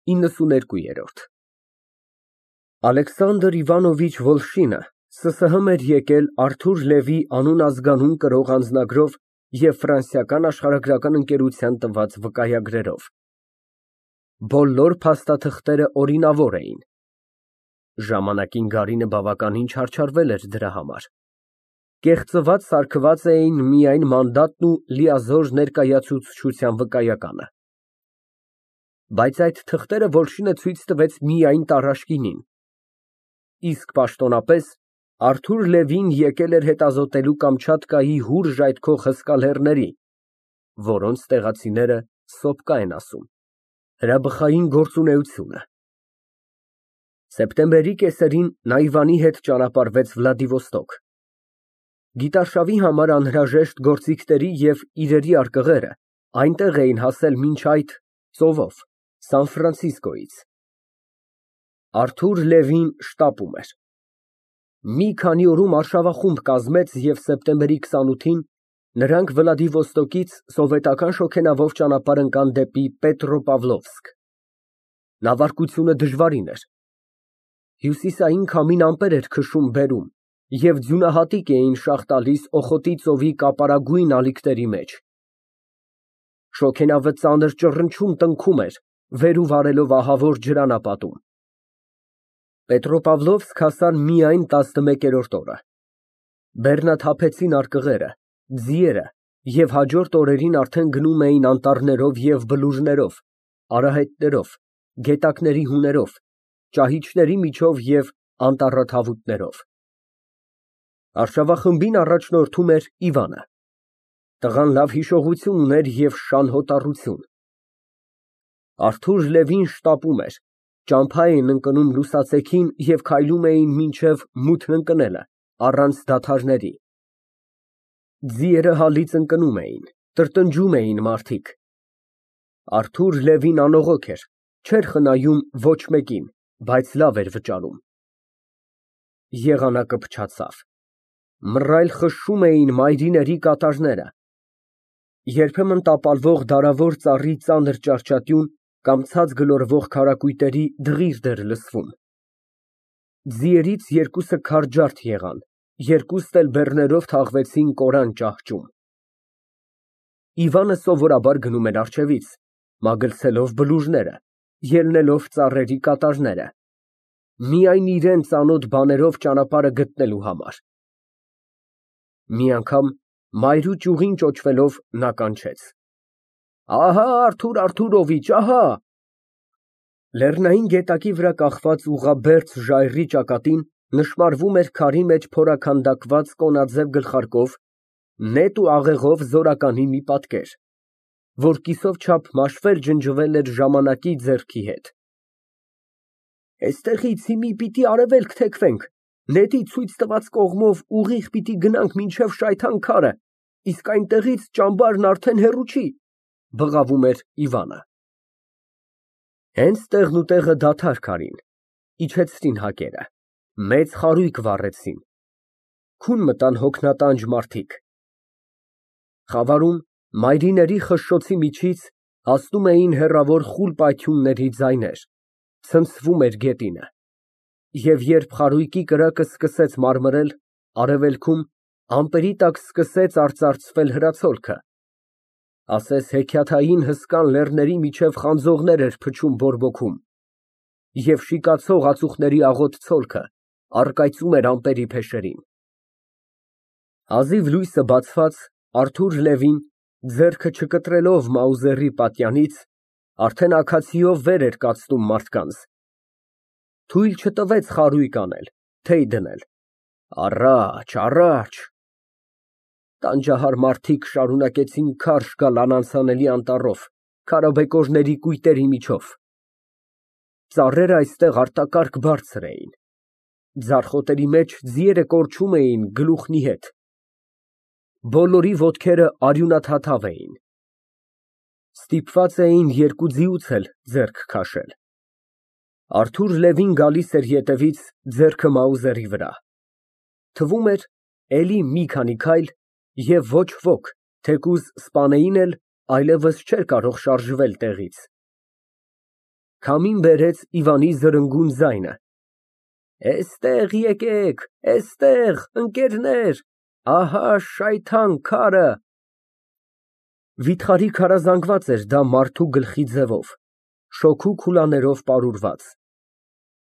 92։ Ալեքսանդր Իվանովիչ Վոլշինը ՍՍՀ էր եկել Արթուր Լևի անուն֊ազգանուն կրող անձնագրով և ֆրանսիական աշխարհագրական ընկերության տված վկայագրերով։ Բոլոր փաստաթղթերը օրինավոր էին։ Ժամանակին Գարինը բավականին չարչարվել էր դրա համար։ Կեղծված սարքված էին միայն մանդատն ու լիազոր ներկայացուցչության վկայականը։ Բայց այդ թղթերը Վոլշինը ցույց տվեց միայն Տարաշկինին։ Իսկ պաշտոնապես Արթուր Լևին եկել էր հետազոտելու Կամչատկայի հուր ժայթքող հսկա լեռների, որոնց տեղացիները սոպկա են ասում, հրաբխային գործունեությունը։ Սեպտեմբերի կեսերին նա Իվանի հետ ճանապարհվեց Վլադիվոստոկ։ Գիտարշավի համար անհրաժեշտ գործիքների և իրերի արկղերը այնտեղ էին հասել մինչ այդ ծովով, Սան Ֆրանցիսկոյից։ Արթուր Լևին շտապում էր։ Մի քանի օրում արշավախումբ կազմեց և սեպտեմբերի 28-ին նրանք Վլադիվոստոկից սովետական շոգենավով ճանապարհ ընկան դեպի Պետրոպավլովսկ։ Նավարկությունը դժվարին էր։ Հյուսիսային քամին ամպեր էր քշում բերում և ձյունահատիկ էին շաղ տալիս Օխոտի ծովի կապարագույն ալիքների մեջ։ Շոգենավը ծանր ճռնչում տնքում էր, վեր ու վարելով ահավոր ջրանապատում։ Պետրոպավլովսկ հասան միայն 11-րդ օրը։ Բեռնաթափեցին արկղերը, ձիերը և հաջորդ օրերին արդեն գնում էին անտառներով և բլուրներով, արահետներով, գետակների հուներով, ճահիճների միջով և անտառաթավուտներով։ Արշավախմբին առաջնորդում էր Իվանը։ Տղան լավ հիշողություն ուներ և շան հոտառություն։ Արթուր Լևին շտապում էր, ճամփա էին ընկնում լուսացեքին և քայլում էին մինչև մութն ընկնելը, առանց դադարների։ Ձիերը հալից ընկնում էին, տրտնջում էին մարդիկ։ Արթուր Լևին անողոք էր, չէր խնայում ոչ մեկին, բայց լավ էր վճարում։ Եղանակը փչացավ։ Մռայլ խշշում էին մայրիների կատարները։ Երբեմն տապալվող դարավոր ծառի ծանր ճարճատյուն կամ ցած գլորվող քարակույտերի դղիրդ էր լսվում։ Ձիերից երկուսը քարջարդ եղան, երկուստ էլ բեռներով թաղվեցին կորան ճահճում։ Իվանը սովորաբար գնում էր առջևից, մագլցելով բլուրները, ելնելով ծառերի կատարները, միայն իրան ծանոթ բաներով ճանապարհը գտնելու համար։ Մի անգամ մայրու ճյուղին ճոճվելով նա կանչեց. «Ահա Արթուր Արթուրովիչ, ահա»։ Լեռնային գետակի վրա կախված ուղղաբերձ ժայռի ճակատին նշմարվում էր քարի մեջ փորաքանդակված կոնաձև գլխարկով, նետ ու աղեղով զորականի մի պատկեր, որ կիսով չափ մաշվել ջնջվել էր ժամանակի ձեռքի հետ։ Էստեղից հիմի պիտի արևելք թեքվենք, նետի ցույց տված կողմով ուղիղ պիտի գնանք մինչև Շայթան քարը, իսկ այնտեղից ճամբարն արդեն հեռու չի, բղավում էր Իվանը։ Հենց տեղնուտեղը դադար քարին, իջեցրին հակերը, մեծ խարույկ վառեցին, քուն մտան հոգնատանջ մարդիկ։ Խավարում մայրիների խշշոցի միջից հասնում էին հեռավոր խուլ պայթյունների ձայներ, ցնցվում էր գետինը։ Եվ երբ խարույկի կրակը սկսեց մարմրել, արևելքում ամպերի տակ սկսեց արծարծվել հրացոլքը, ասես հեքիաթային հսկան լեռների միջև խանձողներ էր փչում բորբոքում, և շիկացող ածուխների աղոտ ցոլքը առկայծում էր ամպերի փեշերին։ Հազիվ լույսը բացված, Արթուր Լևին, ձեռքը չկտրելով Մաուզերի պատյանից, արդեն աքացիով վեր էր կացնում մարդկանց։ Թույլ չտվեց խարույկ անել, թեյ դնել։ Առաջ, առաջ։ Տանջահար մարդիկ շարունակեցին քարշ գալ անանցանելի անտառով, քարաբեկորների կույտերի միջով։ Ծառերը այստեղ արտակարգ բարձր էին։ Ձարխոտերի մեջ ձիերը կորչում էին գլուխնի հետ։ Բոլորի ոտքերը արյունաթաթավ էին։ Ստիպված էին երկու ձիուց էլ ձեռք քաշել։ Արթուր Լևին գալիս էր ետևից, ձեռքը Մաուզերի վրա։ Թվում էր էլի մի քանի քայլ, և ոչ ոք, թեկուզ սպանեին էլ, այլևս չէր կարող շարժվել տեղից։ Քամին բերեց Իվանի զրնգուն ձայնը։ Էստեղ եկեք, էստեղ, ընկերներ, ահա շայթան քարը։ Վիթխարի քարազանգված էր դա մարդու գլխի ձևով, շոգու քուլաներով պարուրված։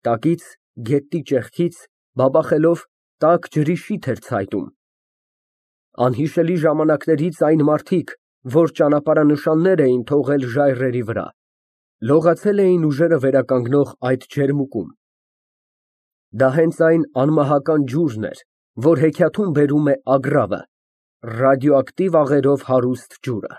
Տակից, գետնի ճեղքից, բաբախելով, տաք ջրի շիթ էր ցայտում։ Անհիշելի ժամանակներից այն մարդիկ, որ ճանապարհանշաններ էին թողել ժայռերի վրա, լողացել էին ուժերը վերականգնող այդ ջերմուկում։ Դա հենց այն անմահական ջուրն էր, որ հեքիաթում բերում է Ագռավը, ռադիոակտիվ աղերով հարուստ ջուրը։